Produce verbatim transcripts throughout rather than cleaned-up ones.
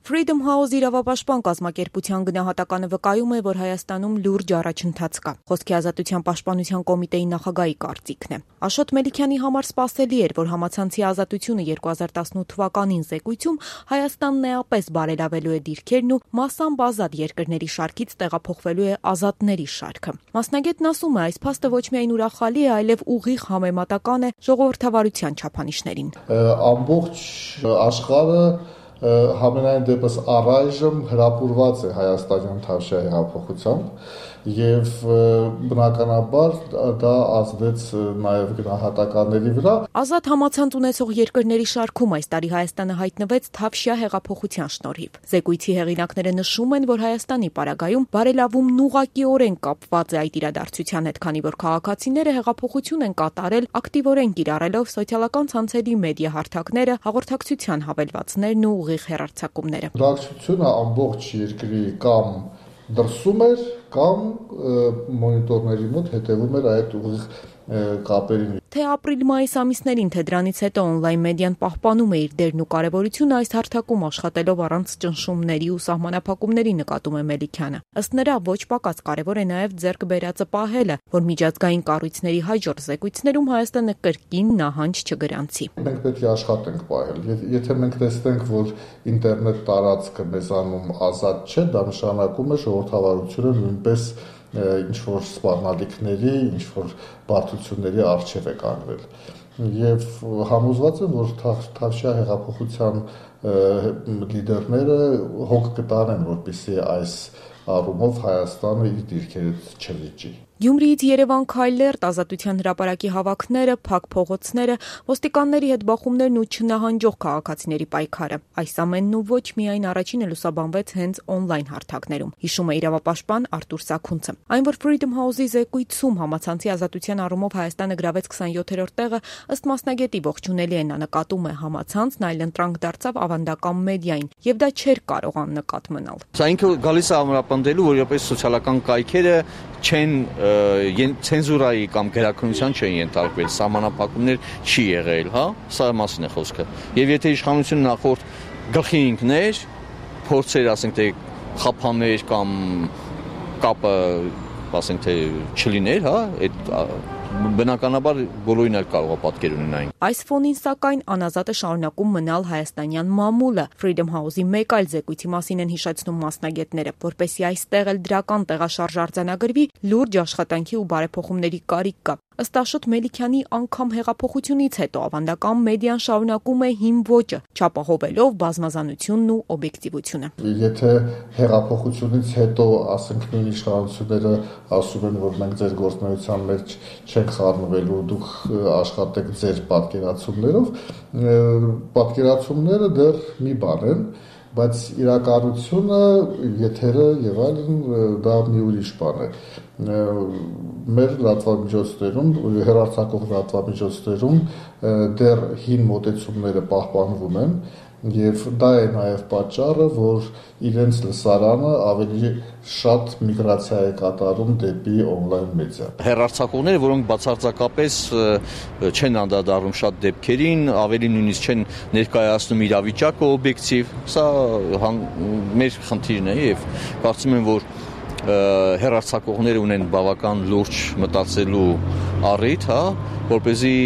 Freedom House իրավապաշտպան կազմակերպության գնահատականը վկայում է, որ Հայաստանում լուրջ առաջընթաց կա։ Խոսքի ազատության պաշտպանության կոմիտեի նախագահի կարծիքն է։ Աշոտ Մելիքյանի համար սպասելի էր, որ համացանցի ազատությունը երկու հազար տասնութ թվականին զեկույցում Հայաստանն էապես բարելավելու է դիրքերն ու մասամբ ազատ երկրների շարքից տեղափոխվելու է ազատների շարքը։ Մասնագետն ասում է, այս փաստը ոչ միայն ուրախալի է, այլև ուղիղ համեմատական է ժողովրդավարության չափանիշներին։ Ամբողջ աշխարհը Համենայն դեպս առայժմ հրապուրված է հայաստանյան Թավշյա հեղափոխությամբ եւ բնականաբար դա ազդեց նաեւ գնահատականների վրա։ Ազատ համացանց ունեցող երկրների շարքում այս տարի Հայաստանը հայտնվեց Թավշյա հեղափոխության շնորհիվ։ Զեկույցի հեղինակները նշում են, որ Հայաստանի պարագայում բարելավումն ուղղակիորեն կապված է այդ իրադարձության հետ, քանի որ քաղաքացիները հեղափոխություն են կատարել ակտիվորեն կիրառելով սոցիալական ցանցերի մեդիա հարթակները, հաղորդակցության հավելվածներն ու ուղիղ հեռարձակումները։ Բնակչությունը ամբողջ երկրի կամ դրսում էր կամ մոնիտորների մոտ հետևում էր այդ ուղիղ կապերին։ Թե ապրիլ-մայիս ամիսներին, թե դրանից հետո օնլայն մեդիան պահպանում է իր դերն ու կարևորությունը այս հարթակում աշխատելով առանց ճնշումների ու սահմանափակումների, նկատում է Մելիքյանը։ Ըստ նրա, ոչ պակաս կարևոր է նաև ձեռք բերածը պահելը, որ միջազգային կառույցների հաջորդ զեկույցներում Հայաստանը կրկին նահանջ չգրանցի։ Մենք պետք է աշխատենք պահել։ Եթե մենք տեսնենք, որ ինտերնետ տարածքը մեզանում ազատ չէ, դա նշանակում է ժողովրդավարությունը նույնպես ինչ-որ սպառնալիքների, ինչ-որ բարդությունների առջև է կանգնել։ Եվ համոզված եմ, որ Թավշյա հեղափոխության լիդերները հոգ կտանեն, որպեսզի այս առումով Հայաստանը իր դիրքերից չլիճի։ Գյումրիից Երևան քայլերտ, Ազատության հրապարակի հավաքները, փակ փողոցները, ոստիկանների հետ բախումներն ու չնահանջող քաղաքացիների պայքարը։ Այս ամենն ու ոչ միայն առաջինը լուսաբանվեց հենց օնլայն հարթակներում, հիշում է իրավապաշտպան Արտուր Սաքունցը։ Այն, որ Freedom House-ի զեկույցում համացանցի ազատության առումով Հայաստանը գրավեց քսանյոթերորդ տեղը, ըստ մասնագետի ողջունելի է, նա նկատում է համացանցն այլընտրանք դարձավ ավանդական մեդիային, եւ դա չէր կարող աննկատ մնալ։ Սա ինքը գալիս է ամրապնդելու, որ որպես սոցիալական կայքերը չեն ցենզուրայի կամ գրաքննության չեն ենթարկվել, սահմանափակումներ չի եղել, հա, սա մասին է խոսքը։ Եվ եթե իշխանությունը նախորդ գլխի ընկներ, փորձեր, ասենք թե խափաներ կամ կապը, ասենք թե չլիներ, հա, այդ բնականաբար բոլորին էլ կարող է պատկեր ունենային։ Այս ֆոնին սակայն անազատը շարունակում մնալ հայաստանյան մամուլը։ Freedom House-ի մեկ այլ զեկույցի մասին են հիշեցնում մասնագետները, որպեսզի այստեղ էլ դրական տեղաշարժ արձանագրվի, լուրջ աշխատանքի ու բարեփոխումների կարիք կա։ Ըստ Աշոտ Մելիքյանի, անգամ հեղափոխությունից հետո ավանդական մեդիան շարունակում է հին ոճը, չապահովելով բազմազանությունն ու օբյեկտիվությունը։ Եթե հեղափոխությունից հետո, ասենք, նույն իշխանությունները ասում են, որ մենք ձեր գործունեության մեջ չենք խառնվելու, դուք աշխատեք ձեր պատկերացումներով, պատկերացումները դեռ մի բան են, բայց իրականությունը, եթերը եւ այլն դա մի ուրիշ բան է։ Մեր լրատվամիջոցներում, հեռարձակող լրատվամիջոցներում դեռ հին մոտեցումները պահպանվում են եւ դա է նաեւ պատճառը, որ իրենց լսարանը ավելի շատ միգրացիա է կատարում դեպի օնլայն մեդիա։ Հեռարձակողները, որոնք բացարձակապես չեն անդրադառնում շատ դեպքերին, ավելի նույնիսկ չեն ներկայացնում իրավիճակը օբյեկտիվ, սա մեր խնդիրն է եւ կարծում եմ, որ հեռարձակողները ունեն բավական լուրջ մտածելու առիթ, հա, որպեսզի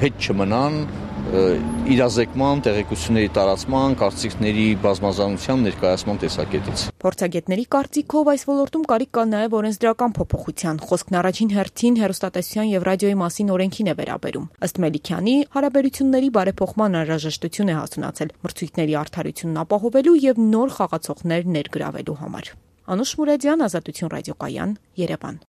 հետ չմնան իրազեկման, տեղեկությունների տարածման, կարծիքների բազմազանության ներկայացման տեսակետից։ Փորձագետների կարծիքով այս ոլորտում կարիք կա նաև օրենսդրական փոփոխության։ Խոսքն առաջին հերթին հեռուստատեսության եւ ռադիոյի մասին օրենքին է վերաբերում։ Ըստ Մելիքյանի, հարաբերությունների բարեփոխման անհրաժեշտություն է հասունացել մրցույթների արդարությունն ապահովելու եւ նոր խաղացողներ ներգրավելու համար։ Անուշ Մուրադյան, Ազատություն ռադիոկայան, Երևան։